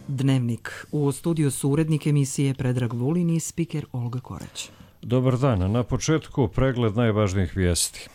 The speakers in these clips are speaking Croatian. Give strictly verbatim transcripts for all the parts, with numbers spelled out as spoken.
Dnevnik. U studiju su urednik emisije Predrag Vulin i spiker Olga Korać. Dobar dan. Na početku pregled najvažnijih vijesti.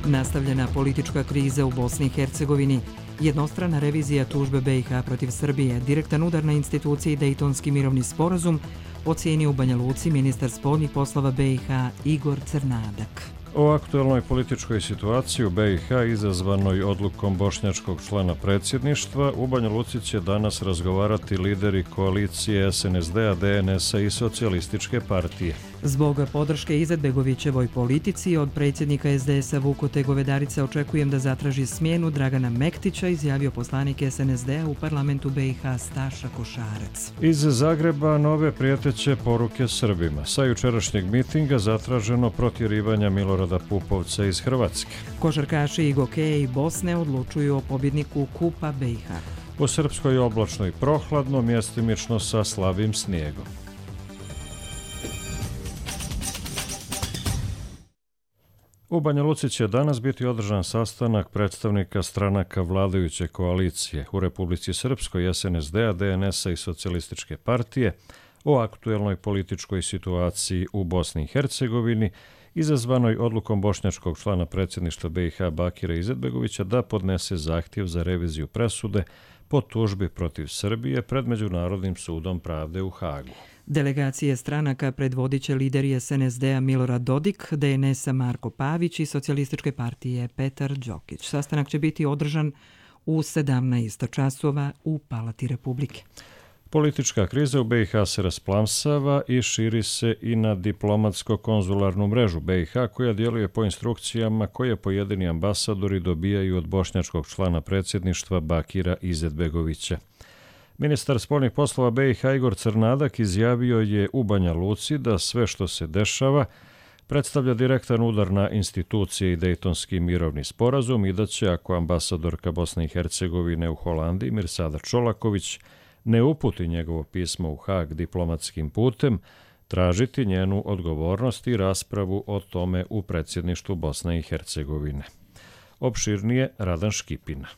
Nastavljena politička kriza u Bosni i Hercegovini, jednostrana revizija tužbe B i H protiv Srbije, direktan udar na institucije i Dejtonski mirovni sporazum, ocijenio u Banja Luci ministar spoljnih poslova B i H Igor Crnadak. O aktuelnoj političkoj situaciji u B i H izazvanoj odlukom bošnjačkog člana predsjedništva u Banja Luci će danas razgovarati lideri koalicije S N S D-a, D N S-a i Socijalističke partije. Zbog podrške Izetbegovićevoj politici od predsjednika S D S-a Vukote Govedarice očekujem da zatraži smjenu Dragana Mektića, izjavio poslanik S N S D-a u parlamentu B i H Staša Košarac. Iz Zagreba nove prijeteće poruke Srbima. Sa jučerašnjeg mitinga zatraženo protjerivanja Milorada Pupovca iz Hrvatske. Košarkaši i gokeji Bosne odlučuju o pobjedniku Kupa B i H. U Srpskoj oblačno i prohladno, mjestimično sa slabim snijegom. U Banja Luci će danas biti održan sastanak predstavnika stranaka vladajuće koalicije u Republici Srpskoj, S N S D-a, D N S-a i Socijalističke partije o aktuelnoj političkoj situaciji u Bosni i Hercegovini, izazvanoj odlukom bošnjačkog člana predsjedništva B i H Bakira Izetbegovića da podnese zahtjev za reviziju presude po tužbi protiv Srbije pred Međunarodnim sudom pravde u Hagu. Delegacije stranaka predvodit će lideri S N S D-a Milorad Dodik, D N S-a Marko Pavić i Socijalističke partije Petar Đokić. Sastanak će biti održan u sedamnaest časova u Palati Republike. Politička kriza u B i H se rasplamsava i širi se i na diplomatsko-konzularnu mrežu B i H koja djeluje po instrukcijama koje pojedini ambasadori dobijaju od bošnjačkog člana predsjedništva Bakira Izetbegovića. Ministar spoljnih poslova B i H Igor Crnadak izjavio je u Banja Luci da sve što se dešava predstavlja direktan udar na institucije i Dejtonski mirovni sporazum i da će, ako ambasadorka Bosne i Hercegovine u Holandiji Mirsada Čolaković ne uputi njegovo pismo u Hag diplomatskim putem, tražiti njenu odgovornost i raspravu o tome u predsjedništvu Bosne i Hercegovine. Opširnije Radan Škipina.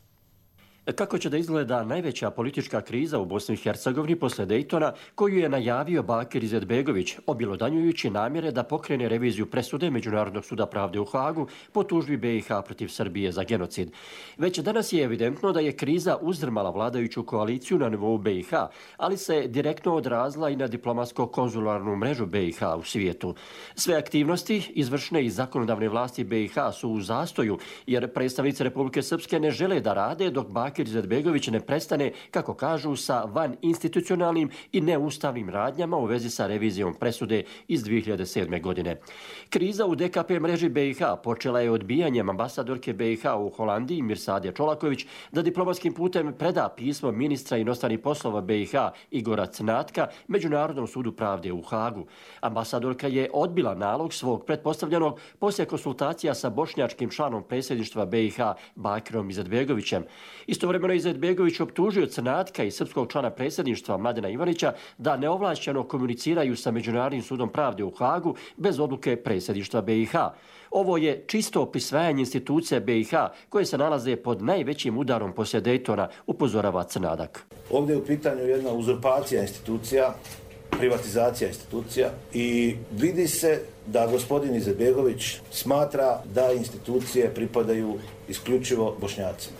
Kako će da izgleda najveća politička kriza u Bosni i Hercegovini posle Dejtona, koju je najavio Bakir Izetbegović, objelodanjujući namjere da pokrene reviziju presude Međunarodnog suda pravde u Hagu po tužbi B i H protiv Srbije za genocid. Već danas je evidentno da je kriza uzdrmala vladajuću koaliciju na nivou B i H, ali se direktno odrazila i na diplomatsko-konzularnu mrežu B i H u svijetu. Sve aktivnosti izvršne i zakonodavne vlasti B i H su u zastoju, jer predstavnici Republike Srpske ne žele da rade dok Bakir Bakir Izetbegović ne prestane, kako kažu, sa van institucionalnim i neustavnim radnjama u vezi sa revizijom presude iz dvije hiljade sedme. godine. Kriza u D K P mreži B i H počela je odbijanjem ambasadorke B i H u Holandiji Mirsade Čolaković da diplomatskim putem preda pismo ministra inostranih poslova B i H Igora Crnatka Međunarodnom sudu pravde u Hagu. Ambasadorka je odbila nalog svog pretpostavljenog poslije konsultacija sa bošnjačkim članom predsjedništva B i H Bakirom Izetbegovićem. Istovremeno Izetbegović optužio Crnatka i srpskog člana predsjedništva Mladena Ivanića da neovlašćeno komuniciraju sa Međunarodnim sudom pravde u Hagu bez odluke predsjedništva B i H. Ovo je čisto prisvajanje institucija B i H koje se nalaze pod najvećim udarom poslije Dejtona, upozorava Crnadak. Ovdje je u pitanju jedna uzurpacija institucija, privatizacija institucija i vidi se da gospodin Izetbegović smatra da institucije pripadaju isključivo Bošnjacima.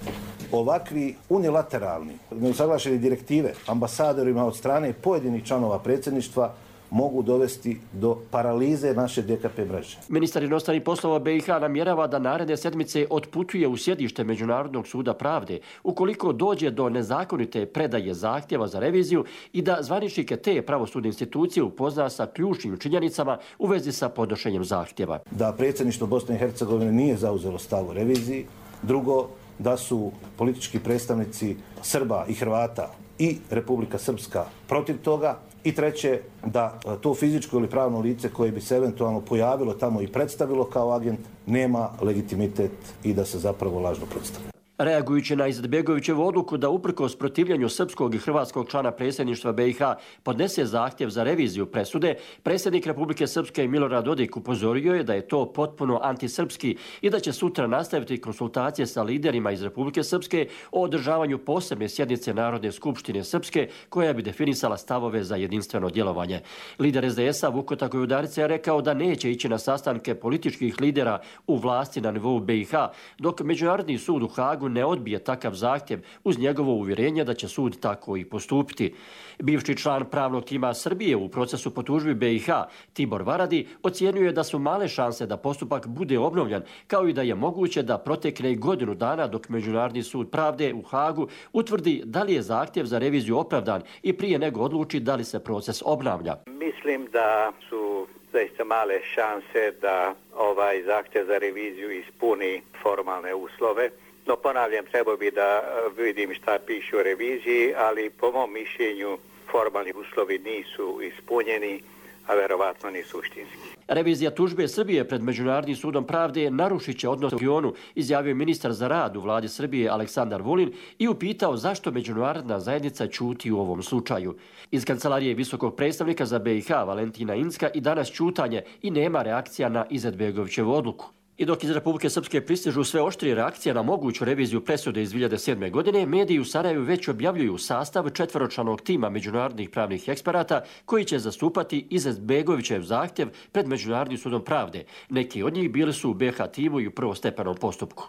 Ovakvi unilateralni, neusaglašene direktive ambasadorima od strane pojedinih članova predsjedništva mogu dovesti do paralize naše D K P mreže. Ministar inostranih poslova B i H namjerava da naredne sedmice otputuje u sjedište Međunarodnog suda pravde ukoliko dođe do nezakonite predaje zahtjeva za reviziju i da zvaničnike te pravosudne institucije upozna sa ključnim činjenicama u vezi sa podnošenjem zahtjeva. Da predsjedništvo Bosne i Hercegovine nije zauzelo stav u reviziji. Drugo, da su politički predstavnici Srba i Hrvata i Republika Srpska protiv toga. I treće, da to fizičko ili pravno lice koje bi se eventualno pojavilo tamo i predstavilo kao agent nema legitimitet i da se zapravo lažno predstavlja. Reagujući na Izetbegovićevu odluku da uprkos protivljenju srpskog i hrvatskog člana predsjedništva B i H podnese zahtjev za reviziju presude, predsjednik Republike Srpske Milorad Dodik upozorio je da je to potpuno antisrpski i da će sutra nastaviti konsultacije sa liderima iz Republike Srpske o održavanju posebne sjednice Narodne skupštine Srpske koja bi definisala stavove za jedinstveno djelovanje. Lider S D S-a Vuko Takojudarica je rekao da neće ići na sastanke političkih lidera u vlasti na nivou B i H, dok Međunarodni sud u Hagu ne odbije takav zahtjev uz njegovo uvjerenje da će sud tako i postupiti. Bivši član pravnog tima Srbije u procesu po tužbi B i H, Tibor Varadi, ocijenjuje da su male šanse da postupak bude obnovljen, kao i da je moguće da protekne i godinu dana dok Međunarodni sud pravde u Hagu utvrdi da li je zahtjev za reviziju opravdan i prije nego odluči da li se proces obnavlja. Mislim da su zaista male šanse da ovaj zahtjev za reviziju ispuni formalne uslove. No, ponavljam, trebao bi da vidim šta piše o reviziji, ali po mom mišljenju formalni uslovi nisu ispunjeni, a verovatno ni suštinski. Revizija tužbe Srbije pred Međunarodnim sudom pravde narušit će odnos u regionu, izjavio ministar za rad u vladi Srbije Aleksandar Vulin i upitao zašto međunarodna zajednica ćuti u ovom slučaju. Iz kancelarije visokog predstavnika za B i H Valentina Inska i danas ćutanje i nema reakcija na Izetbegovićevu odluku. I dok iz Republike Srpske pristižu sve oštrije reakcije na moguću reviziju presude iz dvije hiljade sedme. godine, mediji u Sarajevu već objavljuju sastav četvoročlanog tima međunarodnih pravnih eksperata koji će zastupati Izetbegovićev zahtjev pred Međunarodnim sudom pravde. Neki od njih bili su u B H timu i u prvostepenom postupku.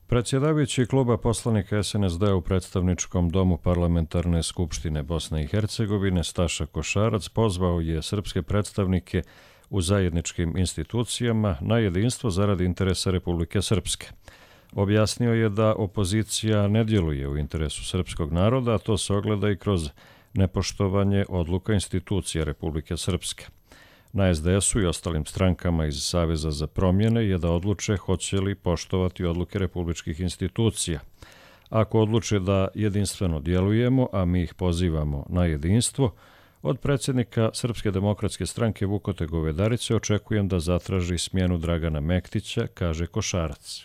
Predsjedavajući kluba poslanika S N S D u predstavničkom domu Parlamentarne skupštine Bosne i Hercegovine Staša Košarac pozvao je srpske predstavnike u zajedničkim institucijama na jedinstvo zarad interesa Republike Srpske. Objasnio je da opozicija ne djeluje u interesu srpskog naroda, a to se ogleda i kroz nepoštovanje odluka institucija Republike Srpske. Na S D S-u i ostalim strankama iz Saveza za promjene je da odluče hoće li poštovati odluke republičkih institucija. Ako odluče da jedinstveno djelujemo, a mi ih pozivamo na jedinstvo, od predsjednika Srpske demokratske stranke Vukote Govedarice očekujem da zatraži smjenu Dragana Mektića, kaže Košarac.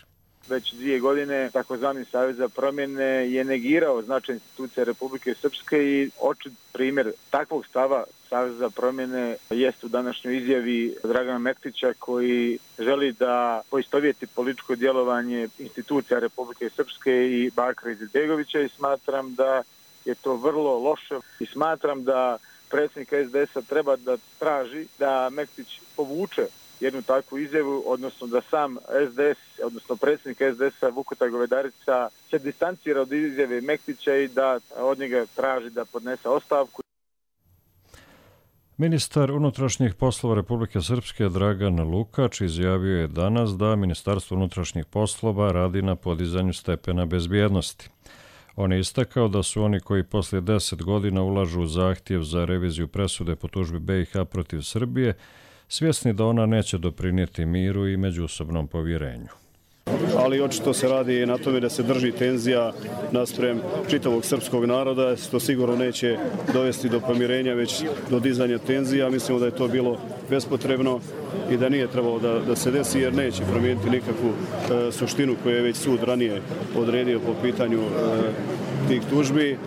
Već dvije godine takozvani Savez za promjene je negirao značaj institucija Republike Srpske i očit primjer takvog stava Saveza za promjene jest u današnjoj izjavi Dragana Mektića koji želi da poistovjeti političko djelovanje institucija Republike Srpske i Bakira Izetbegovića i smatram da je to vrlo loše i smatram da predsjednik S D S-a treba da traži da Mektić povuče jednu takvu izjavu, odnosno da sam S D S, odnosno predsjednik S D S-a Vukota Govedarica se distancira od izjave Mektića i da od njega traži da podnese ostavku. Ministar unutrašnjih poslova Republike Srpske Dragan Lukač izjavio je danas da Ministarstvo unutrašnjih poslova radi na podizanju stepena bezbjednosti. On je istakao da su oni koji poslije deset godina ulažu u zahtjev za reviziju presude po tužbi B i H protiv Srbije, svjesni da ona neće doprinijeti miru i međusobnom povjerenju. Ali očito se radi na tome da se drži tenzija naspram čitavog srpskog naroda, što sigurno neće dovesti do pomirenja, već do dizanja tenzija. Mislimo da je to bilo bespotrebno i da nije trebalo da, da se desi, jer neće promijeniti nikakvu e, suštinu koju je već sud ranije odredio po pitanju e, tih tužbi.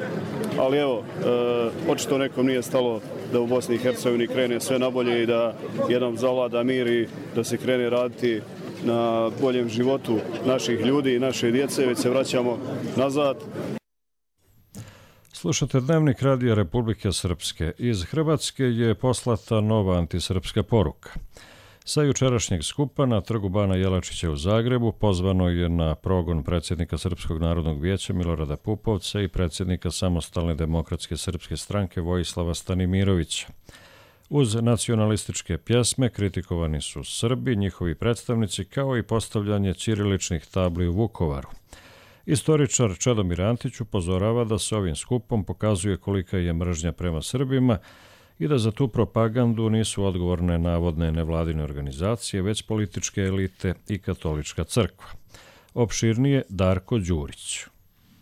Ali evo, e, očito nekom nije stalo da u Bosni i Hercegovini krene sve nabolje i da jednom zavlada mir i da se krene raditi na boljem životu naših ljudi i naše djece, već se vraćamo nazad. Slušate Dnevnik radija Republike Srpske. Iz Hrvatske je poslata nova antisrpska poruka. Sa jučerašnjeg skupa na trgu Bana Jelačića u Zagrebu pozvano je na progon predsjednika Srpskog narodnog vijeća Milorada Pupovca i predsjednika Samostalne demokratske srpske stranke Vojislava Stanimirovića. Uz nacionalističke pjesme kritikovani su Srbi, njihovi predstavnici, kao i postavljanje ćiriličnih tabli u Vukovaru. Istoričar Čedomir Antić upozorava da se ovim skupom pokazuje kolika je mržnja prema Srbima i da za tu propagandu nisu odgovorne navodne nevladine organizacije, već političke elite i katolička crkva. Opširnije Darko Đurić.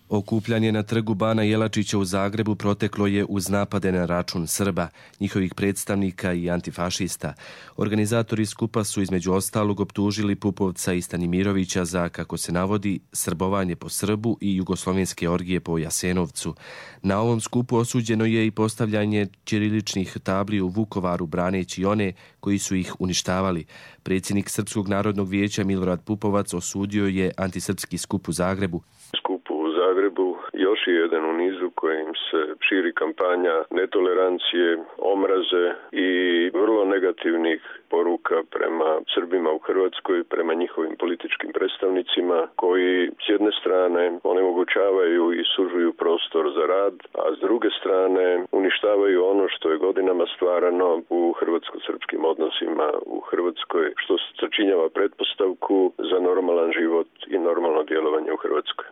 Okupljanje na trgu Bana Jelačića u Zagrebu proteklo je uz napade na račun Srba, njihovih predstavnika i antifašista. Organizatori skupa su između ostalog optužili Pupovca i Stanimirovića za, kako se navodi, srbovanje po Srbu i jugoslovenske orgije po Jasenovcu. Na ovom skupu osuđeno je i postavljanje ćiriličnih tabli u Vukovaru braneći one koji su ih uništavali. Predsjednik Srpskog narodnog vijeća Milorad Pupovac osudio je antisrpski skup u Zagrebu. Zagrebu još je jedan u nizu kojim se širi kampanja netolerancije, omraze i vrlo negativnih poruka prema Srbima u Hrvatskoj, prema njihovim političkim predstavnicima koji s jedne strane onemogućavaju i sužuju prostor za rad, a s druge strane uništavaju ono što je godinama stvarano u hrvatsko-srpskim odnosima u Hrvatskoj, što sačinjava pretpostavku za normalan život i normalno djelovanje u Hrvatskoj.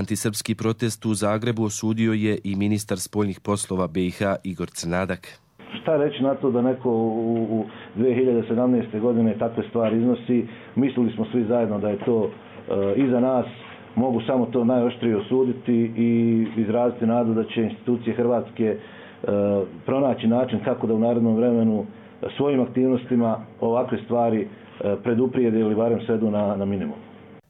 Antisrpski protest u Zagrebu osudio je i ministar spoljnih poslova B i H Igor Crnadak. Šta reći na to da neko u, u dvije hiljade sedamnaeste. godine takve stvari iznosi? Mislili smo svi zajedno da je to e, iza nas. Mogu samo to najoštrije osuditi i izraziti nadu da će institucije Hrvatske e, pronaći način kako da u narednom vremenu svojim aktivnostima ovakve stvari e, preduprijede ili barem svedu na, na minimum.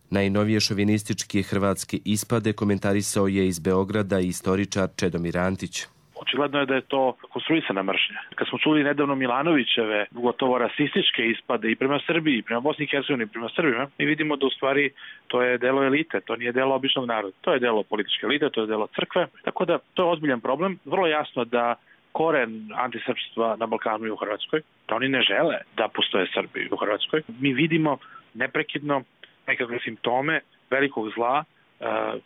Najnovije šovinističke hrvatske ispade komentarisao je iz Beograda i istoričar Čedomir Antić. Očigledno je da je to konstruisana mržnja. Kad smo čuli nedavno Milanovićeve gotovo rasističke ispade i prema Srbiji, i prema Bosni i Hercegovini, i prema Srbima, mi vidimo da u stvari to je delo elite, to nije delo običnog naroda. To je delo političke elite, to je delo crkve. Tako da to je ozbiljan problem. Vrlo jasno da koren antisrpstva na Balkanu i u Hrvatskoj, da oni ne žele da postoje Srbi u Hrvatskoj. Mi vidimo neprekidno nekakve simptome velikog zla uh,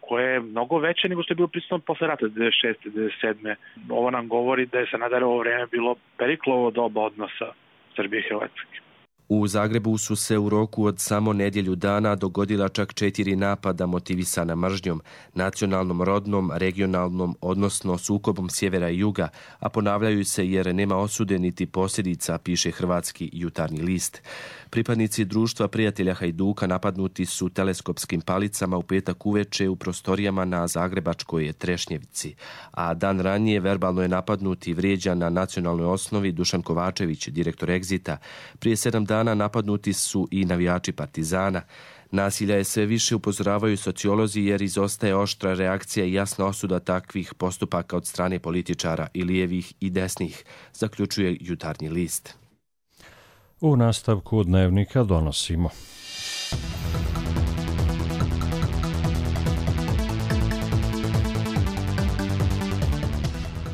koje je mnogo veće nego što je bilo prisutno posle rata devedeset šeste. devedeset sedme. Ovo nam govori da je Sanaderovo vreme bilo Periklovo doba odnosa Srbije i Hrvatske. U Zagrebu su se u roku od samo nedjelju dana dogodila čak četiri napada motivisana mržnjom, nacionalnom, rodnom, regionalnom, odnosno sukobom sjevera i juga, a ponavljaju se jer nema osude niti posljedica, piše hrvatski Jutarnji list. Pripadnici društva prijatelja Hajduka napadnuti su teleskopskim palicama u petak uveče u prostorijama na zagrebačkoj Trešnjevici, a dan ranije verbalno je napadnut i vrijeđan na nacionalnoj osnovi Dušan Kovačević, direktor Exita. Prije sedam dana napadnuti su i navijači Partizana. Nasilja je sve više, upozoravaju sociolozi, jer izostaje oštra reakcija i jasna osuda takvih postupaka od strane političara i lijevih i desnih, zaključuje Jutarnji list. U nastavku dnevnika donosimo.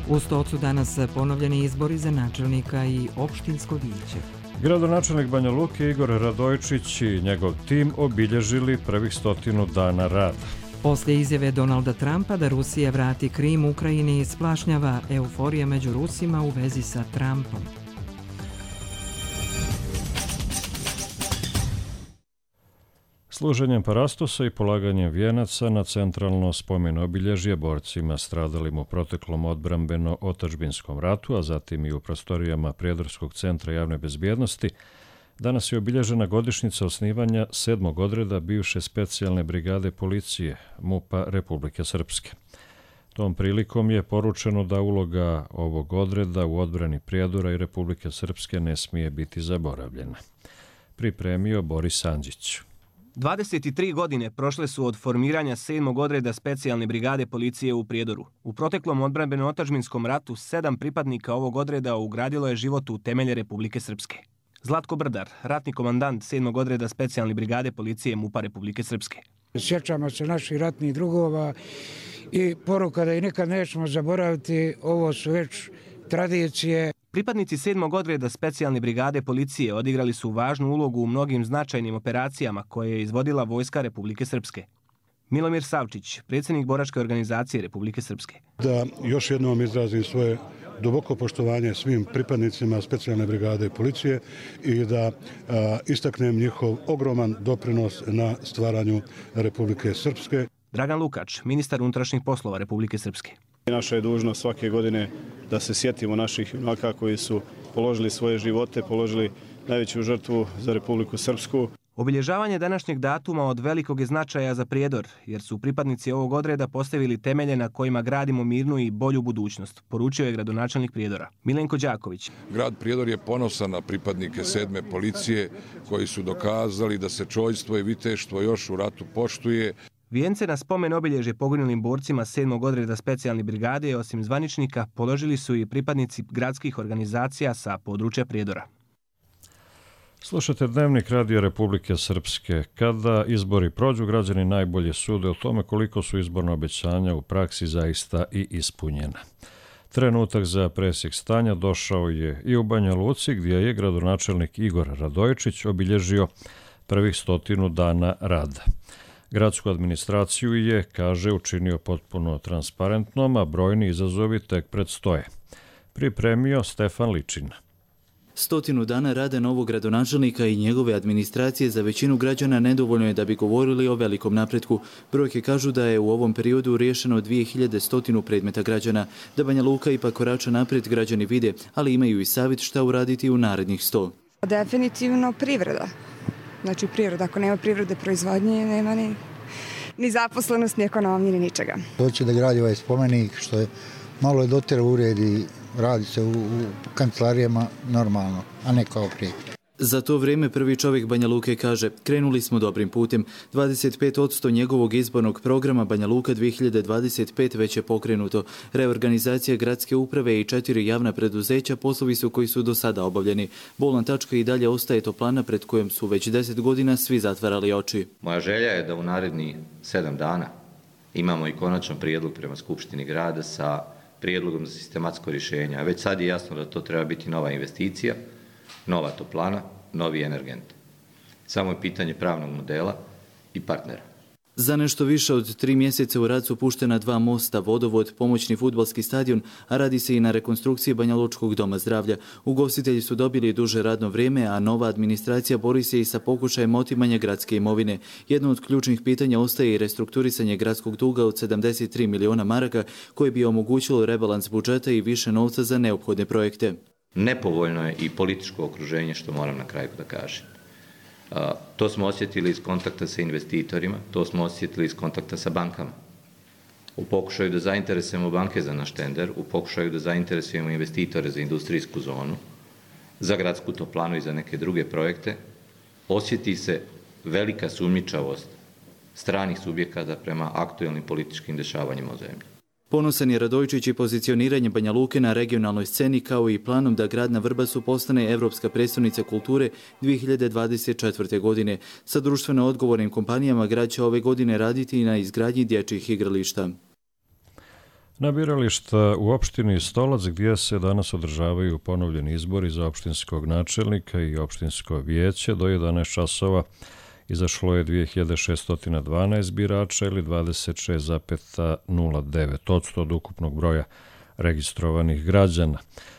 U Stocu danas ponovljeni izbori za načelnika i opštinsko vijeće. Gradonačelnik Banja Luke Igor Radojčić i njegov tim obilježili prvih stotinu dana rada. Poslije izjave Donalda Trumpa da Rusija vrati Krim Ukrajini, splašnjava euforija među Rusima u vezi sa Trumpom. Služenjem parastosa i polaganjem vijenaca na centralno spomen obilježje borcima stradalim u proteklom odbrambeno-otadžbinskom ratu, a zatim i u prostorijama Prijedorskog centra javne bezbjednosti, danas je obilježena godišnjica osnivanja sedmog odreda bivše specijalne brigade policije MUP-a Republike Srpske. Tom prilikom je poručeno da uloga ovog odreda u odbrani Prijedora i Republike Srpske ne smije biti zaboravljena. Pripremio Boris Andžić. dvadeset tri godine prošle su od formiranja sedmog odreda specijalne brigade policije u Prijedoru. U proteklom odbrambeno-otadžbinskom ratu sedam pripadnika ovog odreda ugradilo je život u temelje Republike Srpske. Zlatko Brdar, ratni komandant sedmog odreda specijalne brigade policije MUP-a Republike Srpske. Sjećamo se naših ratnih drugova i poruka da i nikad nećemo zaboraviti, ovo su već tradicije. Pripadnici sedmog odreda specijalne brigade policije odigrali su važnu ulogu u mnogim značajnim operacijama koje je izvodila Vojska Republike Srpske. Milomir Savčić, predsjednik boračke organizacije Republike Srpske. Da još jednom izrazim svoje duboko poštovanje svim pripadnicima specijalne brigade policije i da a, istaknem njihov ogroman doprinos na stvaranju Republike Srpske. Dragan Lukač, ministar unutrašnjih poslova Republike Srpske. Naša je dužnost svake godine da se sjetimo naših junaka koji su položili svoje živote, položili najveću žrtvu za Republiku Srpsku. Obilježavanje današnjeg datuma od velikog je značaja za Prijedor, jer su pripadnici ovog odreda postavili temelje na kojima gradimo mirnu i bolju budućnost, poručio je gradonačelnik Prijedora. Milenko Đaković. Grad Prijedor je ponosan na pripadnike sedme policije koji su dokazali da se čojstvo i viteštvo još u ratu poštuje. Vijence na spomen obilježje poginulim borcima sedmog odreda specijalne brigade, osim zvaničnika, položili su i pripadnici gradskih organizacija sa područja Prijedora. Slušate Dnevnik Radija Republike Srpske. Kada izbori prođu, građani najbolje sude o tome koliko su izborna obećanja u praksi zaista i ispunjena. Trenutak za presjek stanja došao je i u Banja Luci, gdje je gradonačelnik Igor Radojičić obilježio prvih stotinu dana rada. Gradsku administraciju je, kaže, učinio potpuno transparentnom, a brojni izazovi tek predstoje. Pripremio Stefan Ličin. Stotinu dana rada novog gradonačelnika i njegove administracije za većinu građana nedovoljno je da bi govorili o velikom napretku. Brojke kažu da je u ovom periodu riješeno dvije hiljade sto predmeta građana. Da Banja Luka ipak korača naprijed građani vide, ali imaju i savjet šta uraditi u narednih sto. Definitivno privreda. Znači privreda, ako nema privrede proizvodnje, nema ni, ni zaposlenost, ni ekonomije, ni ničega. Hoće da gradi ovaj spomenik, što je malo je dotera uredi, radi se u, u kancelarijama normalno, a ne kao prije. Za to vrijeme prvi čovjek Banja Luke kaže, krenuli smo dobrim putem. dvadeset pet posto njegovog izbornog programa Banja Luka dvije hiljade dvadeset pete već je pokrenuto. Reorganizacija gradske uprave i četiri javna preduzeća poslovi su koji su do sada obavljeni. Bolna tačka i dalje ostaje toplana pred kojom su već deset godina svi zatvarali oči. Moja želja je da u narednih sedam dana imamo i konačan prijedlog prema Skupštini grada sa prijedlogom za sistematsko rješenje. A već sad je jasno da to treba biti nova investicija, nova toplana, novi energent. Samo je pitanje pravnog modela i partnera. Za nešto više od tri mjeseca u rad su puštena dva mosta, vodovod, pomoćni fudbalski stadion, a radi se i na rekonstrukciji Banja Lučkog doma zdravlja. Ugostitelji su dobili duže radno vrijeme, a nova administracija bori se i sa pokušajem otimanja gradske imovine. Jedno od ključnih pitanja ostaje i restrukturisanje gradskog duga od sedamdeset tri miliona maraka, koje bi omogućilo rebalans budžeta i više novca za neophodne projekte. Nepovoljno je i političko okruženje, što moram na kraju da kažem. Uh, to smo osjetili iz kontakta sa investitorima, to smo osjetili iz kontakta sa bankama. U pokušaju da zainteresujemo banke za naš tender, u pokušaju da zainteresujemo investitore za industrijsku zonu, za gradsku toplanu i za neke druge projekte, osjeti se velika sumnjičavost stranih subjekata prema aktuelnim političkim dešavanjima u zemlji. Ponosan je Radojičić i pozicioniranje Banja Luke na regionalnoj sceni, kao i planom da grad na Vrbasu postane Evropska prijestolnica kulture dvije hiljade dvadeset četvrte. godine. Sa društveno odgovornim kompanijama grad će ove godine raditi i na izgradnji dječjih igrališta. Na birališta u opštini Stolac, gdje se danas održavaju ponovljeni izbori za opštinskog načelnika i opštinsko vijeće, do jedanaest časova izašlo je dvije hiljade šesto dvanaest birača ili dvadeset šest zarez nula devet posto od ukupnog broja registrovanih građana.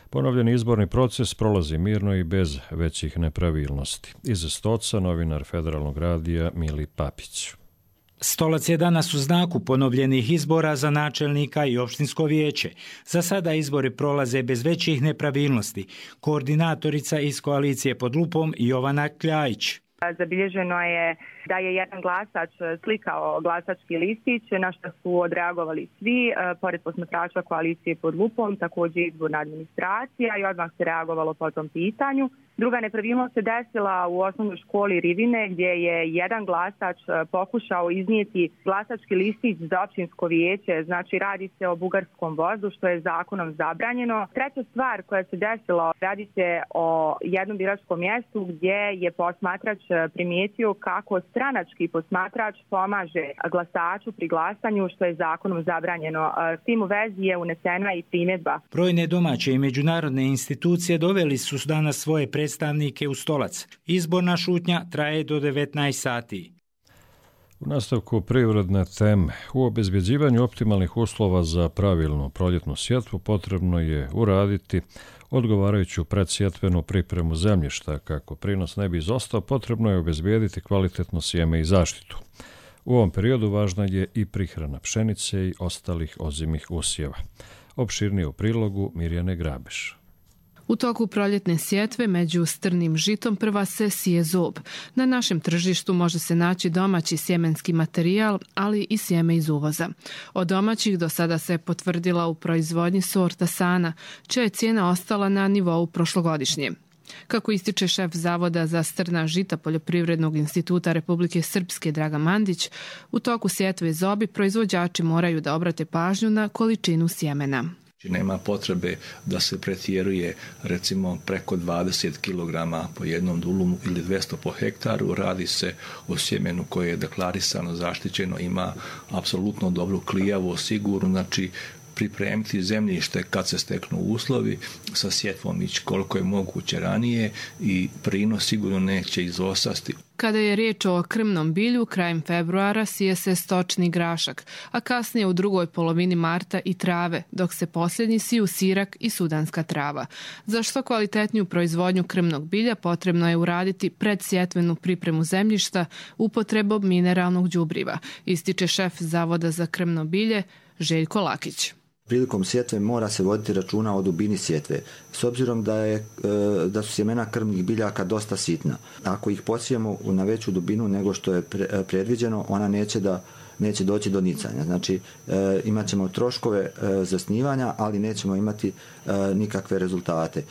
Ponovljeni izborni proces prolazi mirno i bez većih nepravilnosti. Iz Stoca novinar Federalnog radija Mili Papić. Stolac je danas u znaku ponovljenih izbora za načelnika i opštinsko vijeće. Za sada izbori prolaze bez većih nepravilnosti. Koordinatorica iz koalicije pod lupom Jovana Kljajić. Zabilježeno je da je jedan glasač slikao glasački listić, na što su odreagovali svi, pored posmatrača koalicije pod lupom, također izborna administracija, i odmah se reagovalo po tom pitanju. Druga nepravilnost se desila u osnovnoj školi Rivine, gdje je jedan glasač pokušao iznijeti glasački listić za općinsko vijeće, znači radi se o bugarskom vozu, što je zakonom zabranjeno. Treća stvar koja se desila, radi se o jednom biračkom mjestu gdje je posmatrač primijetio kako stranački posmatrač pomaže glasaču pri glasanju, što je zakonom zabranjeno. S tim u vezi je unesena i primjedba. Brojne domaće i međunarodne institucije doveli su danas svoje predstavnike u Stolac. Izborna šutnja traje do devetnaest sati. U nastavku privredne teme, u obezbjeđivanju optimalnih uslova za pravilnu proljetnu sjetvu potrebno je uraditi odgovarajuću predsjetvenu pripremu zemljišta. Kako prinos ne bi izostao, potrebno je obezbijediti kvalitetno sjeme i zaštitu. U ovom periodu važna je i prihrana pšenice i ostalih ozimih usjeva. Opširnije u prilogu Mirjane Grabeš. U toku proljetne sjetve među strnim žitom prva se sije zob. Na našem tržištu može se naći domaći sjemenski materijal, ali i sjeme iz uvoza. Od domaćih do sada se potvrdila u proizvodnji sorta Sana, čija je cijena ostala na nivou prošlogodišnje. Kako ističe šef Zavoda za strna žita Poljoprivrednog instituta Republike Srpske Dragan Mandić, u toku sjetve zobi proizvođači moraju da obrate pažnju na količinu sjemena. Nema potrebe da se pretjeruje recimo preko dvadeset kilograma po jednom dulumu ili dvjesto po hektaru. Radi se o sjemenu koje je deklarisano, zaštićeno, ima apsolutno dobru klijavu, sigurno, znači pripremiti zemljište kad se steknu uslovi, sa sjetvom ići koliko je moguće ranije i prinos sigurno neće izostati. Kada je riječ o krmnom bilju, krajem februara sije se stočni grašak, a kasnije u drugoj polovini marta i trave, dok se posljednji siju sirak i sudanska trava. Za što kvalitetniju proizvodnju krmnog bilja potrebno je uraditi predsjetvenu pripremu zemljišta upotrebom mineralnog đubriva, ističe šef Zavoda za krmno bilje Željko Lakić. Prilikom sjetve mora se voditi računa o dubini sjetve, s obzirom da, je, da su sjemena krmnih biljaka dosta sitna. Ako ih posijemo na veću dubinu nego što je predviđeno, ona neće, da, neće doći do nicanja. Znači, imat ćemo troškove zasnivanja, ali nećemo imati nikakve rezultate.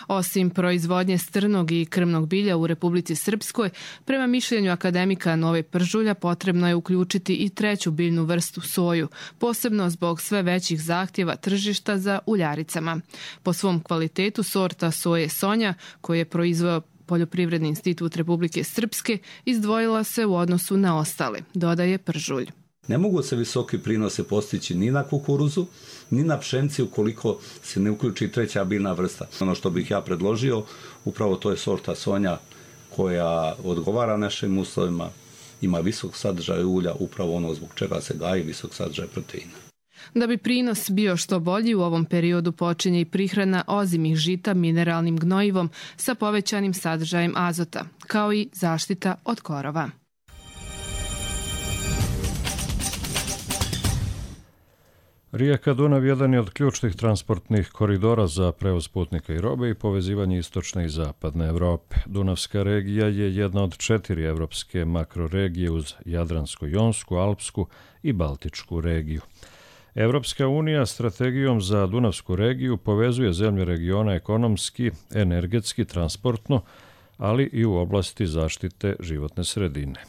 Osim proizvodnje strnog i krmnog bilja u Republici Srpskoj, prema mišljenju akademika Nove Pržulja potrebno je uključiti i treću biljnu vrstu soju, posebno zbog sve većih zahtjeva tržišta za uljaricama. Po svom kvalitetu sorta soje Sonja, koju je proizveo Poljoprivredni institut Republike Srpske, izdvojila se u odnosu na ostale, dodaje Pržulj. Ne mogu se visoki prinose postići ni na kukuruzu, ni na pšenici ukoliko se ne uključi treća biljna vrsta. Ono što bih ja predložio, upravo to je sorta Sonja koja odgovara našim uslovima, ima visok sadržaj ulja, upravo ono zbog čega se gaji visok sadržaj proteina. Da bi prinos bio što bolji, u ovom periodu počinje i prihrana ozimih žita mineralnim gnojivom sa povećanim sadržajem azota, kao i zaštita od korova. Rijeka Dunav jedan je od ključnih transportnih koridora za prevoz putnika i robe i povezivanje istočne i zapadne Evrope. Dunavska regija je jedna od četiri evropske makroregije uz Jadransko-jonsku, Alpsku i Baltičku regiju. Evropska unija strategijom za Dunavsku regiju povezuje zemlje regiona ekonomski, energetski, transportno, ali i u oblasti zaštite životne sredine.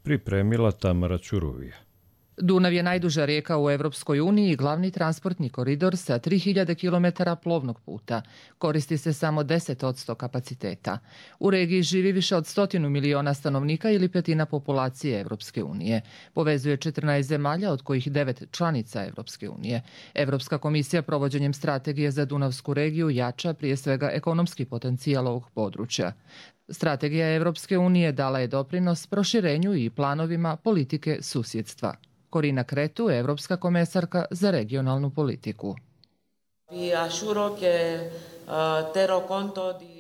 Pripremila Tamara Ćuruvija. Dunav je najduža rijeka u Evropskoj uniji i glavni transportni koridor sa tri hiljade kilometara plovnog puta. Koristi se samo deset posto kapaciteta. U regiji živi više od stotinu miliona stanovnika ili petina populacije Evropske unije. Povezuje četrnaest zemalja, od kojih devet članica Evropske unije. Evropska komisija provođenjem strategije za Dunavsku regiju jača prije svega ekonomski potencijal ovog područja. Strategija Evropske unije dala je doprinos proširenju i planovima politike susjedstva. Corina Cretu, evropska komesarka za regionalnu politiku.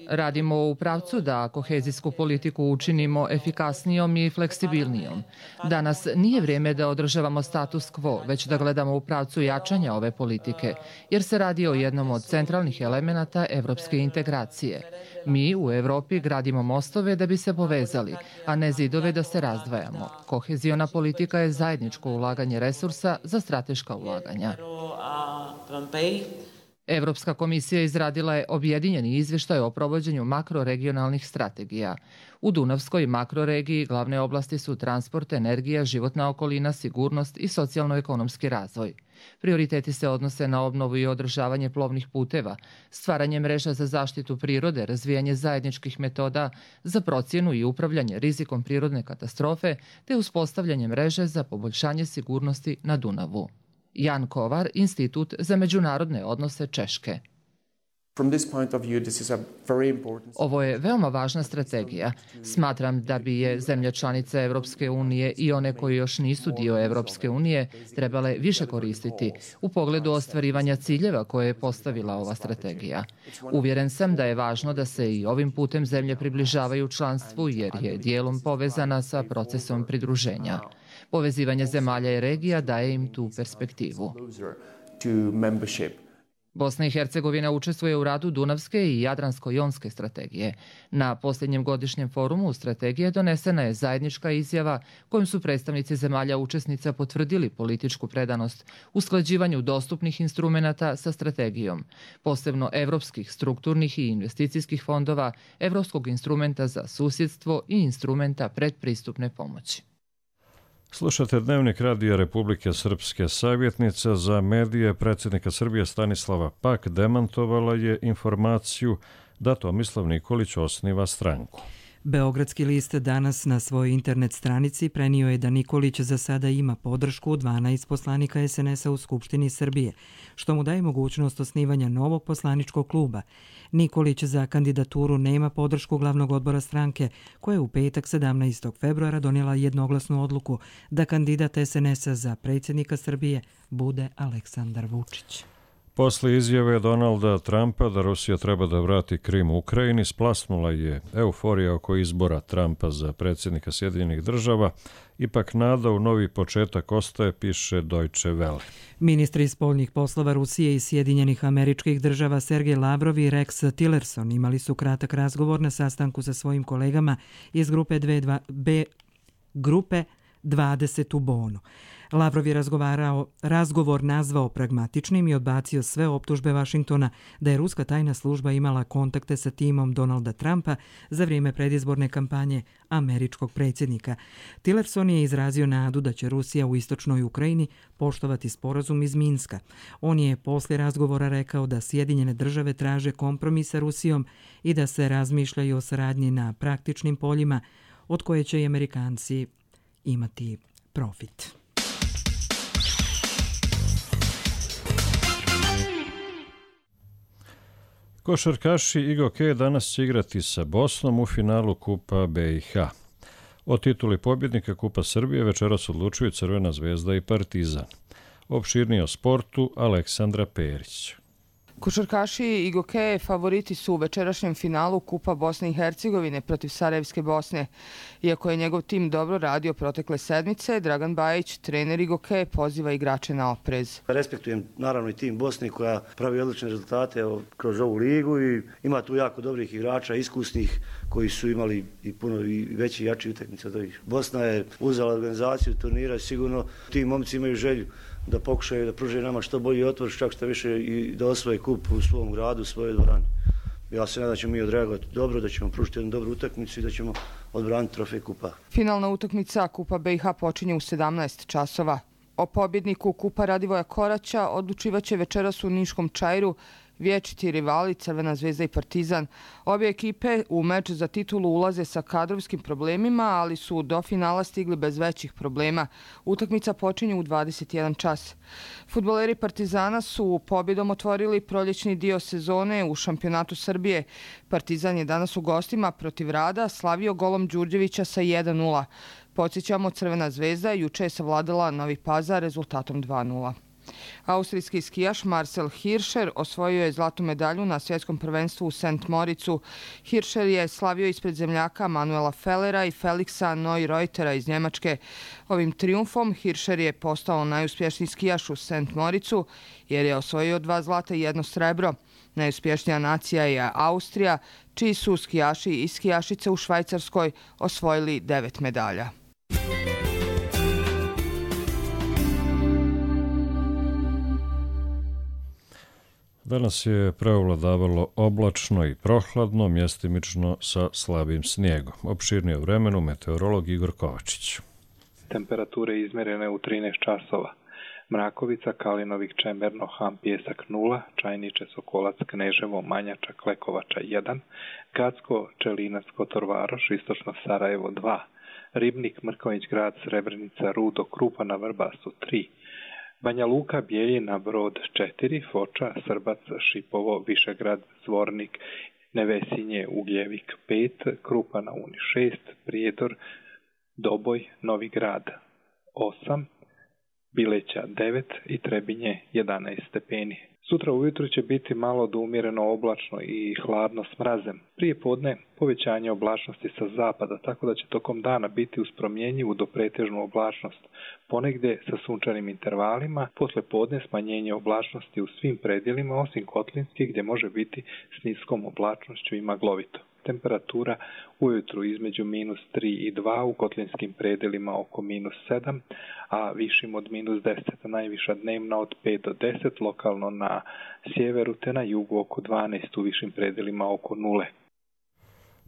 Radimo u pravcu da kohezijsku politiku učinimo efikasnijom i fleksibilnijom. Danas nije vrijeme da održavamo status quo, već da gledamo u pravcu jačanja ove politike, jer se radi o jednom od centralnih elemenata evropske integracije. Mi u Europi gradimo mostove da bi se povezali, a ne zidove da se razdvajamo. Koheziona politika je zajedničko ulaganje resursa za strateška ulaganja. Evropska komisija izradila je objedinjeni izvještaj o provođenju makroregionalnih strategija. U Dunavskoj makroregiji glavne oblasti su transport, energija, životna okolina, sigurnost i socijalno-ekonomski razvoj. Prioriteti se odnose na obnovu i održavanje plovnih puteva, stvaranje mreža za zaštitu prirode, razvijanje zajedničkih metoda za procjenu i upravljanje rizikom prirodne katastrofe, te uspostavljanje mreže za poboljšanje sigurnosti na Dunavu. Jan Kovar, Institut za međunarodne odnose Češke. Ovo je veoma važna strategija. Smatram da bi je zemlje članice Evropske unije i one koji još nisu dio Evropske unije trebale više koristiti u pogledu ostvarivanja ciljeva koje je postavila ova strategija. Uvjeren sam da je važno da se i ovim putem zemlje približavaju članstvu jer je dijelom povezana sa procesom pridruženja. Povezivanje zemalja i regija daje im tu perspektivu. Bosna i Hercegovina učestvuje u radu Dunavske i Jadransko-jonske strategije. Na posljednjem godišnjem forumu strategije donesena je zajednička izjava kojom su predstavnici zemalja učesnica potvrdili političku predanost usklađivanju dostupnih instrumenata sa strategijom, posebno evropskih strukturnih i investicijskih fondova, Evropskog instrumenta za susjedstvo i instrumenta predpristupne pomoći. Slušate Dnevnik Radija Republike Srpske. Savjetnica za medije predsjednika Srbije Stanislava Pak demantovala je informaciju da Tomislav Nikolić osniva stranku. Beogradski list danas na svojoj internet stranici prenio je da Nikolić za sada ima podršku dvanaest poslanika es en es a u Skupštini Srbije, što mu daje mogućnost osnivanja novog poslaničkog kluba. Nikolić za kandidaturu nema podršku glavnog odbora stranke, koja je u petak sedamnaestog februara donijela jednoglasnu odluku da kandidat es en es a za predsjednika Srbije bude Aleksandar Vučić. Posle izjave Donalda Trumpa da Rusija treba da vrati Krim u Ukrajini, splasnula je euforija oko izbora Trumpa za predsjednika Sjedinjenih država. Ipak nada u novi početak ostaje, piše Deutsche Welle. Ministri spoljnih poslova Rusije i Sjedinjenih Američkih Država Sergej Lavrov i Rex Tillerson imali su kratak razgovor na sastanku sa svojim kolegama iz grupe, B, grupe dvadeset u Bonu. Lavrov je razgovarao, razgovor nazvao pragmatičnim i odbacio sve optužbe Vašingtona da je ruska tajna služba imala kontakte sa timom Donalda Trumpa za vrijeme predizborne kampanje američkog predsjednika. Tillerson je izrazio nadu da će Rusija u istočnoj Ukrajini poštovati sporazum iz Minska. On je poslije razgovora rekao da Sjedinjene države traže kompromis sa Rusijom i da se razmišljaju o saradnji na praktičnim poljima od koje će i Amerikanci imati profit. Košarkaši i Goke danas će igrati sa Bosnom u finalu Kupa be i ha. O tituli pobjednika Kupa Srbije večeras odlučuju Crvena zvezda i Partizan. Opširnije o sportu Aleksandra Perić. Košarkaši i Goke favoriti su u večerašnjem finalu Kupa Bosne i Hercegovine protiv Sarajevske Bosne. Iako je njegov tim dobro radio protekle sedmice, Dragan Bajić, trener i Goke, poziva igrače na oprez. Respektujem naravno i tim Bosne koja pravi odlične rezultate kroz ovu ligu i ima tu jako dobrih igrača, iskusnih, koji su imali i puno i veći i jači utakmice od ovih. Bosna je uzela organizaciju turnira i sigurno ti momci imaju želju da pokušaju da pruže nama što bolji otvor, čak što više i da osvoje kup u svom gradu, u svojoj dvorani. Ja se nadam da ćemo mi odreagovati dobro, da ćemo pružiti jednu dobru utakmicu i da ćemo odbraniti trofej kupa. Finalna utakmica Kupa be i ha počinje u sedamnaest časova. O pobjedniku Kupa Radivoja Koraća odlučivaće večeras u Niškom Čairu vječiti rivali Crvena zvezda i Partizan. Obje ekipe u meč za titulu ulaze sa kadrovskim problemima, ali su do finala stigli bez većih problema. Utakmica počinje u dvadeset jedan čas. Fudbaleri Partizana su pobjedom otvorili proljećni dio sezone u šampionatu Srbije. Partizan je danas u gostima protiv Rada slavio golom Đurđevića sa jedan nula. Podsjećamo, Crvena zvezda juče je savladala Novi Pazar rezultatom dva nula. Austrijski skijaš Marcel Hirscher osvojio je zlatnu medalju na svjetskom prvenstvu u Saint Moricu. Hirscher je slavio ispred zemljaka Manuela Fellera i Felixa Neureutera iz Njemačke. Ovim triumfom Hirscher je postao najuspješniji skijaš u Saint Moricu jer je osvojio dva zlata i jedno srebro. Najuspješnija nacija je Austrija, čiji su skijaši i skijašice u Švajcarskoj osvojili devet medalja. Danas je preovladavalo oblačno i prohladno, mjestimično sa slabim snijegom. Opširnije o vremenu meteorolog Igor Kovačić. Temperature izmjerene u trinaest časova. Mrakovica, Kalinovik, Čemerno, Ham, Pjesak nula, Čajniče, Sokolac, Kneževo, Manjača, Klekovača jedan, Gacko, Čelinac, Kotor Varoš, Istočno Sarajevo dva, Ribnik, Mrković grad, Srebrenica, Rudo, Krupa na Vrbasu tri, Banja Luka, Bijeljina, Brod četiri, Foča, Srbac, Šipovo, Višegrad, Zvornik, Nevesinje, Ugljevik pet, Krupa na Uni šest, Prijedor, Doboj, Novi Grad osam, Bileća devet i Trebinje jedanaest stepeni. Sutra ujutro će biti malo do umjereno oblačno i hladno s mrazem. Prije podne povećanje oblačnosti sa zapada, tako da će tokom dana biti uz promjenjivu do pretežnu oblačnost, ponegdje sa sunčanim intervalima, posle podne smanjenje oblačnosti u svim predjelima, osim Kotlinskih gdje može biti s niskom oblačnošću i maglovito. Temperatura ujutru između minus tri i dva, u kotlinskim predjelima oko minus sedam, a višim od minus deset. Najviša dnevna od pet do deset, lokalno na sjeveru te na jugu oko dvanaest, u višim predjelima oko nule.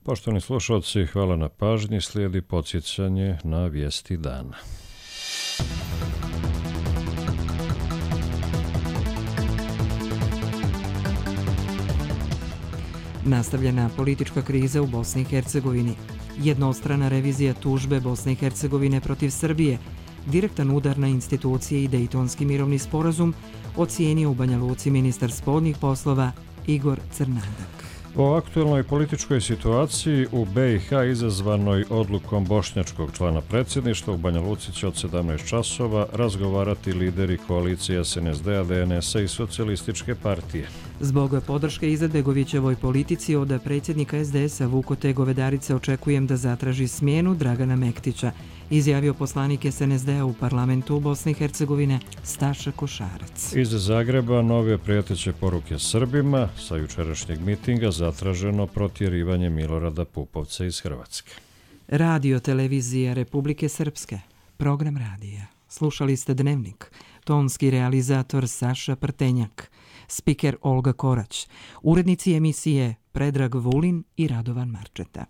Poštovani slušalci, hvala na pažnji. Slijedi podsjećanje na vijesti dana. Nastavljena politička kriza u Bosni i Hercegovini. Jednostrana revizija tužbe Bosne i Hercegovine protiv Srbije. Direktan udar na institucije i Dejtonski mirovni sporazum ocijenio u Banja Luci ministar spoljnih poslova Igor Crnadak. O aktuelnoj političkoj situaciji u B i H izazvanoj odlukom bošnjačkog člana predsjedništva u Banja Luci će od sedamnaest časova razgovarati lideri koalicije S N S D-a, D N S-a i Socijalističke partije. Zbog podrške Izetbegovićevoj politici od predsjednika S D S-a Vukote Govedarice očekujem da zatraži smjenu Dragana Mektića, izjavio poslanik S N S D-a u parlamentu u Bosni i Hercegovine Staša Košarac. Iz Zagreba nove prijeteće poruke Srbima, sa jučerašnjeg mitinga zatraženo protjerivanje Milorada Pupovca iz Hrvatske. Radio televizija Republike Srpske, program radija. Slušali ste Dnevnik, tonski realizator Saša Prtenjak, spiker Olga Korać, urednici emisije Predrag Vulin i Radovan Marčeta.